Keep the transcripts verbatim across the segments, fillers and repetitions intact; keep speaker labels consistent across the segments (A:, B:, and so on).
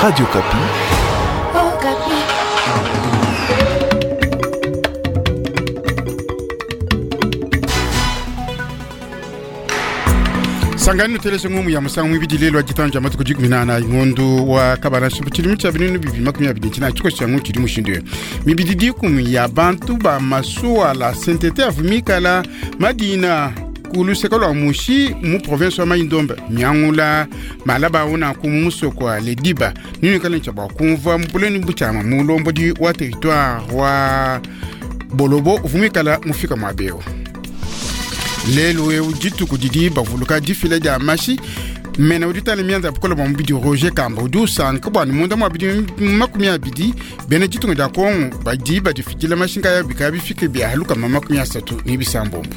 A: Radio Okapi.
B: Okapi.
C: Sangani nuteleshe ngumu ya musangu mwibidi lelo ajitanja matuku jikumi na na ngondu wa kabana shipu chilimu cha binunu bibi makumi abidi nchina chiko changu chili mushindwe mibidi dikumi ya bantu ba masuwa la sentete avumikala madina kuluseka lwa mushi mu province wa Mai-Ndombe miangula malaba una ku musoko wa lediba nini kala ncha bakumva mupuleni buchama mulombodi wa territoire wa Bolobo uvumikala mufika mwabeo lelo eu dituku didi bavuluka difila dia mashi mena udi tala mianza bukola bwa mubidi Roger Kamba udi usanka bwani munda mwa bidi makumi abidi bena ditunga dia Kongo badi badifidila mashinga ya bika bifike bia lukama makumi asatu ni bisambombo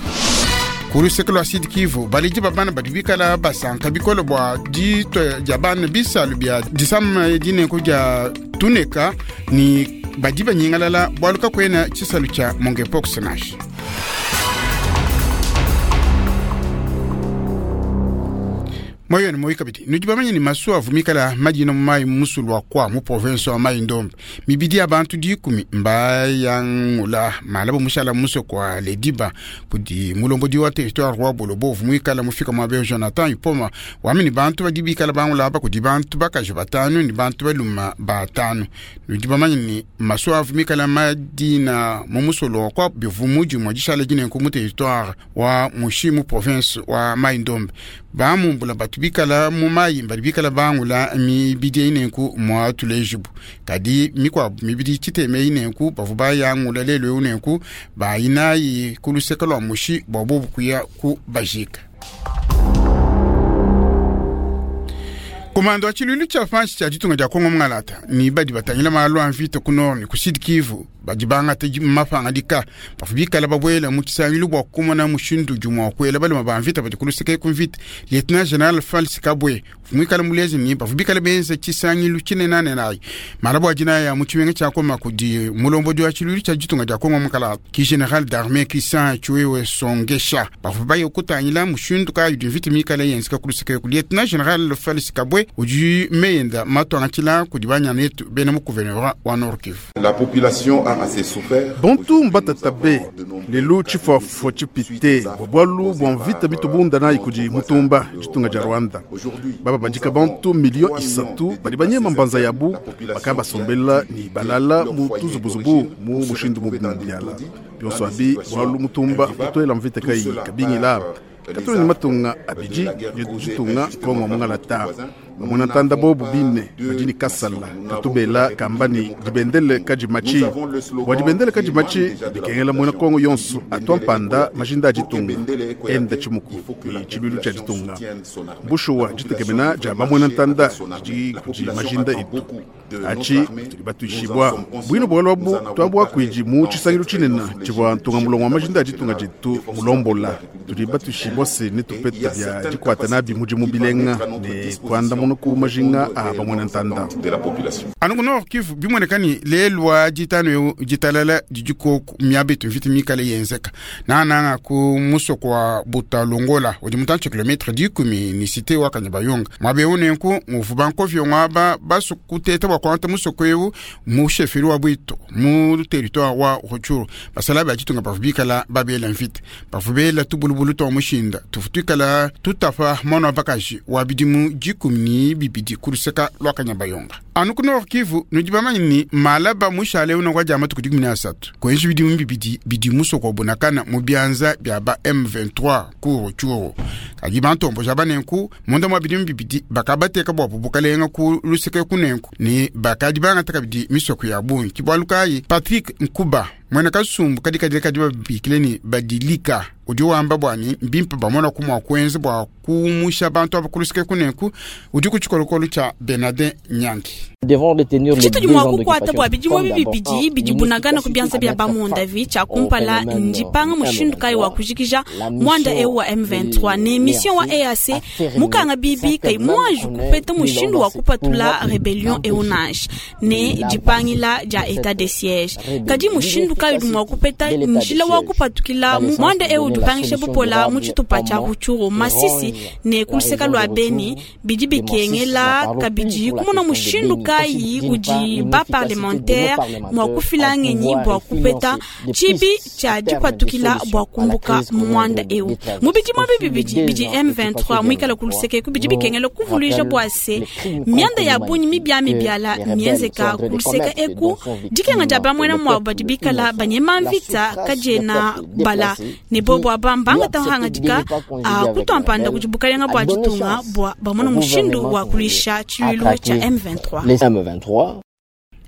C: kuluseke lwa Sud Kivu balidi babana badi bikala basanka bikolo bwa dito dia bana bisalu bia disama dineko dia tuneka ni badi banyingalala bwaluka kwena tshisalu tshia monkeypox nashi. Moyo ni moyo kabidi nudi bamanye ni masuwa avumikala madina mu mayi musulu wa kwa mu province wa Mai-Ndombe mibidi ya bantu dikumi mbayangula malabo mushala muso kwa lediba kudi mulombodi wa territoire wa Bolobo vumikala mufika mwa beo Jonathan Ipoma wamini bantu badi bikala bangula aba kudi bantu bakaji batanu ni bantu baluma batanu nudi bamanye ni masuwa avumikala madina mu musulu wa kwa bivumuji mwa dishala dinenku mu territoire wa mushi mu province wa Mai-Ndombe bamumbula batu bikala mu mayi badi bikala bangula mibidi inenku mwa tulejibu kadi mikwabu mibidi tshiteme inenku bavu bayangula lelo inenku bayinayi kuluseka lwa mushi bwa bobu kuya ku bajika. Komando wa tshilulu tshia fanshi tshia ditunga dia Kongo mungalata ni badi batangila malu a mvita ku nord ni ku Sud Kivu badi bangata mapanga dika bafu bikala babwela mu tshisangilu bua kumona mushindu jumwa kuela baluma ba mvita badi kuluseke ku mvita. Lieutenant General Falsi Kabwe muikala mulezi ni bafu bikala benza tshisangilu tshinenane malabu adina ya mu tshimenga tshia Koma kudi mulombodi wa tshilulu tshia ditunga dia Kongo mukala ki General d'armée Christian Tshiwewe Songesha bafu baye kutangila mushindu kayi di mvita mikala yenzeka kuluseke ku Lieutenant General Falsi Kabwe udi meyenda matwanga kudi banyana yetu bena mu gouvernement wa Nord Kivu.
D: La population a assez souffert.
E: Bantu mbatatabe lelo tshifafua tshipite bua bualu bua mvita bitubunda nayi kudi mutumba ditunga dia Rwanda baba bandika bantu milio isatu badi banyema mbanza yabu baka basombela ni balala mu tuzubuzubu mu mushindu mubiala bionso abi bualu mutumba kutoela mvita kai kabingila katuli ni matunga abidi ditunga Kongo mungalata bamona ntanda bobu bine badini kasala katubela kambani dibendele kajimachi bua dibendele kajimachi dikengela muena Kongo yonso atua mpanda majinda a ditunga enda tshimuku ni tshiluilu tshia ditunga bushuwa ditekemena dia bamuena ntanda didi kudi majinda etu achi tudi batuishibwa bwino bwalo abu tuabuakuidi mu tshisangilu tshinene tshivua ntunga mulongo wa majinda a ditunga dietu mulombola tudi batuishibwa se ne tupeta bia dikuata nabi mudimu bilenga ne kuanda muno ku majinga a bamuena ntanda
C: anu ku Nord Kivu bimonekani lelwa ditano eu ditalala didiko miabetu mvita mikale yenzeka nananga ku musoko wa Butalongola udi mutantshi kilometre dikumi ni cité wa Kanyabayonga mwabe unenku nguvu bankovyo ngwaba basukuteta bua kuanta musoko eu mu chefferie wa Bwito mu territoire wa Rutshuru basala ba ditunga bavu bikala babela mvita bavu bela tubulubulu twa mushinda tufutukala tutafa mwana wa bakaji wa bidimu dikumi ni bibidi kuluseka lwa Kanyabayonga anu ku Nord Kivu nudi bamanye ni malaba mushale uno kwa jama tukudi kumi na asatu kwenji bidimu bibidi bidi musoko wa Bunakana mu bianza bia ba M vingt-trois ku Rutshuru kadi bantombo ja banenku munda mwa bidimu bibidi bakabateka bua bukalenga ku luseke kunenku ni bakadi bangataka bidi misoko ya bungi kibwalukayi Patrick Nkuba mwena kasumbu kadi kadi kadi babikile ni badilika udi wamba bwani mbimpe bamona kumwa kwenza bwa kumusha bantu abakulusike kunenku udi ku tshikolokolo tshia Bernardin Nyangi.
F: Tshitudi mua kukuata bua bidimu bibidi bidi bunagana ku bianza bia bamunda vi tshia kumpala ndipanga mushindu kayi wa kujikija mwanda eu wa M vingt-trois ne mission wa E A C mukanga bibi kai mwaju kupeta mushindu wa kupatula rebellion eu nash ne dipangila dia état de siège kadi mushindu kayi udi mua kupeta njila wa kupatukila mu muanda eu udi upangisha bupola mu tshitupa tshia Rutshuru, Masisi ne ku luseke lua Beni. Bidi bikengela kabidi kumona mushindu kayi udi ba parlementaire mua kufila ngenyi bua kupeta tshibi tshia dipatukila bua kumbuka mu muanda eu. Mu bidimu bibidi bidi M vingt-trois muikale ku luseke ku bidi bikengela kuvuluija bua se mianda ya bungi mibia mibiala mienzeka ku luseke eku dikenga dia bamwena mwabo badi bikala banyema mvita kadiena bala ne bobo aba mbangata hangadika a kutuampanda kudi bukalenga bua ditunga bua bamona mushindu wa kulisha tshiluilu tshia M vingt-trois.
A: Les M vingt-trois.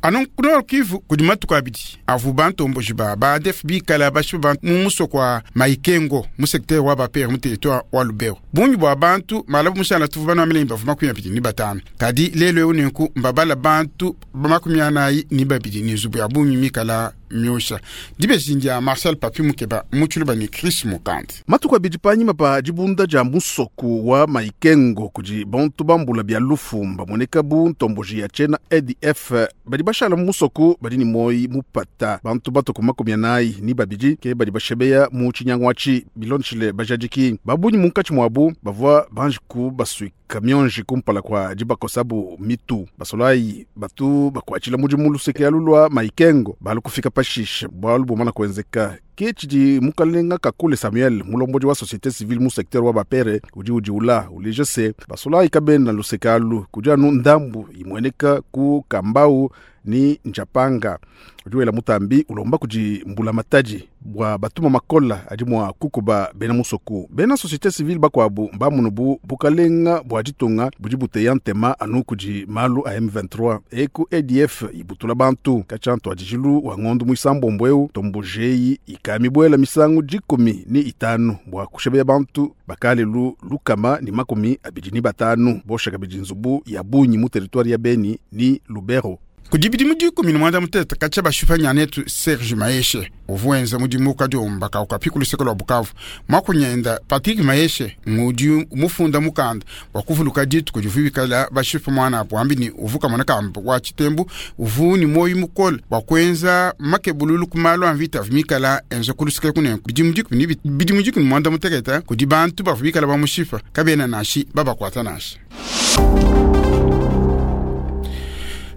C: Anu ku Nord Kivu kudi matuku abidi avu bantomboji ba ba A D F bikala bashipa bantu mu musoko wa Maikengo mu secteur wa Bapere mu territoire wa Lubero. Bungi bua bantu malabu mushala tuvu bana milemba bavu makumi abidi ni batano. Kadi lelo eu nenku mbabala bantu ba makumi anayi ni babidi ni nzubu ya bungi mikala miosha. Dibeji dia Marcel Papi Mukeba mutshuluba ni Chris Mukandi.
E: Matuku abidi panyima pa dibunda dia musoko wa Maikengo kudi bantu bambula bia lufu bamoneka bu ntomboji ya tshena A D F badi bashala mu musoko badi ni moyi mupata bantu batoku makumi anayi ni babidi ke badi bashebeya mu tshinyangwachi bilonshile bajadiki babunyi munkatshi mwabu bavua banjiku baswika kamionji kumpala kwa dibakosabu mitu basolayi batu bakuatshila mudimu luseke alu lua Maikengo balu kufika pashishe bwalu bumana kuenzeka ke tshidi mukalenga Kakule Samuel mulombodi wa société civile mu secteur wa Bapere udi udiula uleja se basolayi kabena luseke alu kudi anu ndambu imweneka ku kambau ni njapanga udi wela mutambi ulomba kudi mbula matadi bua batuma makola adi mua kukuba bena musoku bena société civile bakwabu mbamunubu bukalenga bua ditunga budi buteya ntema anu kudi malu a M vingt-trois eku A D F ibutula bantu kachantu adijilu wa ngondu muisambombo eu tombojeyi ikamibwela misangu dikumi ni itanu bua kushebeya bantu bakalelu lukama ni makumi abidi ni batanu boshaka bidi nzubu ya bunyi mu territoire ya Beni ni Lubero.
C: Kudi bidimu dikumi ni mwanda mutete katshia bashipa nyanetu Serge Maeshe uvuenza mudimu kadiomba kaukapi ku luseke lua Bukavu mwakunyenda Patrick Maeshe ngudi mufunda mukanda wa kuvuluka dituku divuikala bashipa mwana apo ambini uvuka mwana kamba wa chitembu uvu ni moyi mukole wa kuenza makebululu ku malu a mvita vimikala enza ku luseke kunenku bidimu dikumi ni bidimu dikumi ni mwanda mutekete kudi bantu bavuikala bamushipa kabena nashi babakwata nashi.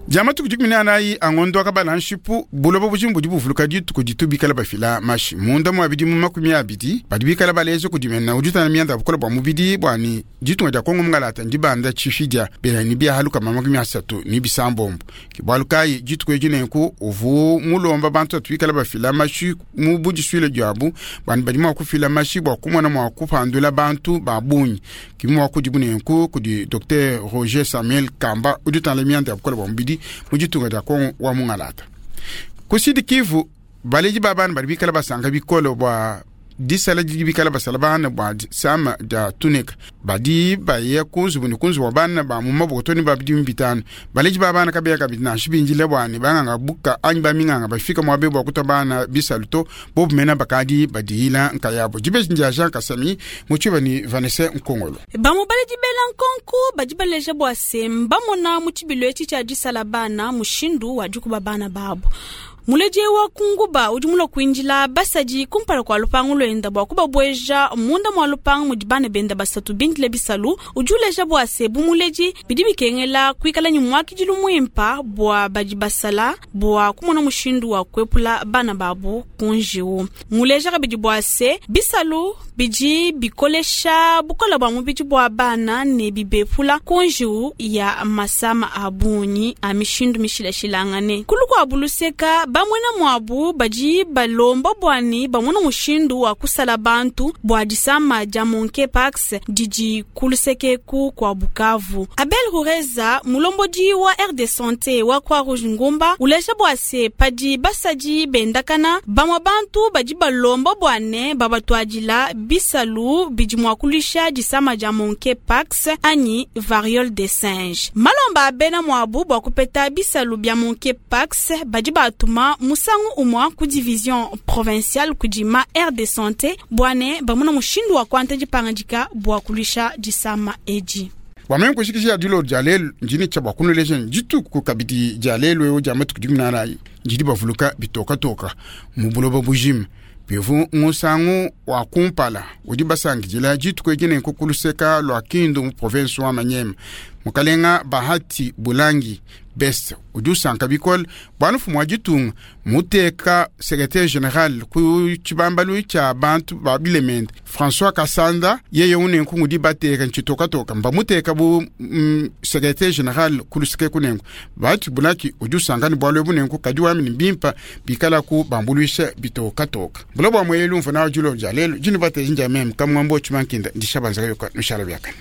C: Jama tuku dikumi na anayi angondo akabala nshipu buloba bujimbu buvuluka dituku ditubikala bafila mashi munda mwa bidimu makumi abidi badibikala balezo kudimena ujutana mianda bukola bwa mubidi bwani ditunga dia Kongo mungalata ndibanda chifidia bela ni bia haluka makumi asatu ni bisambombo kibwalukayi dituku ejinenku uvu mulomba bantu atwikala bafila mashi mu budiswile diabu bwani badima kufila mashi bwa kumona mwa kupandula bantu babunyi kimwa kudibunenku kudi Docteur Roger Samuel Kamba ujutana mianda bukola bwa mubidi mujitunga dia Kongo wa mungalata kusidi Kivu baleji babana bali bikala basanga bikolo bwa disala dibikala basala bana bwa sama da tunika badi baye kunzu buni kunzu wa bana ba mu maboto ni babidi mbitano baleji babana kabeya kabidi na shibinjile bwani banganga buka anyi baminganga bafika mwa bebo kuta bana bisaluto bobu mena bakadi badihila nkayabo jibeji ndia Jean Kasami muchiba ni Vanessa Nkongolo
F: bamu baleji bela nkonko badi baleja bwa semba mona muchibilo echi cha disala bana mushindu wa dikuba bana babo muleje wa kunguba udi mulo kuinjila basadi kumpala kwa lupangu lwenda bwa kubabweja munda mwa lupangu mudi bana benda basatu bindile bisalu udi uleja bwa se bumuleji bidi bikengela kuikala ni mwakijilu mwimpa bwa badi basala bwa kumona mushindu wa kuepula bana babu kunjiwu muleja kabidi bwa se bisalu bidi bikolesha bukola bwa mubidi bwa bana ne bibepula kunjiwu ya masama abunyi a mishindu mishilashilangane kulu kwa buluseka bamwena mwabu badi balomba bwani bamona mushindu wa kusala bantu bwa disama dia monkeypox didi kulusekeku kwa Bukavu. Abel Rureza mulombodi wa R D Santé wa kwa Rouge Ngumba uleja bwase padi basadi bendakana bamwa bantu badi balomba bwane babatwadila bisalu bidi mwa kulisha disama dia monkeypox anyi variole des singes. Malomba abena mwabu bwa kupeta bisalu bya monkeypox badi batuma musangu umwa ku division provinciale kudima R D Santé bwane bamuna mushindu wa kwanta dipangandika bwa kulisha disama edi.
C: Bua meme kushikisha dilo dia lelu ndini tshia bua kunuleja dituku kabidi dia lelu eu dia matuku dikumi na anayi ndidi bavuluka bitokatoka mu buloba bujima. Bivu musangu wa kumpala udi basangidila dituku edi nenku ku luseka lua Kindu mu province wa Manyema. Mukalenga Bahati Bulangi Best udi usanka bikole bua mfumu wa ditunga muteka secrétaire général ku tshibambalu tshia bantu ba bilemende François Kasanda yeye unenku ngudi bateka ntshitokatoka mbamuteka bu mm, secrétaire général ku luseke kunenku. Bahati Bulangi udi usanka ne bualu ebu nenku kadi wamini bimpa bikala ku bambuluisha bitokatoka. Bulo bua mwelu mvuna wa dilo dia lelu dinu bateji ndia meme kamwambo tshimankinda ndisha banzaka yoka nushala biakane.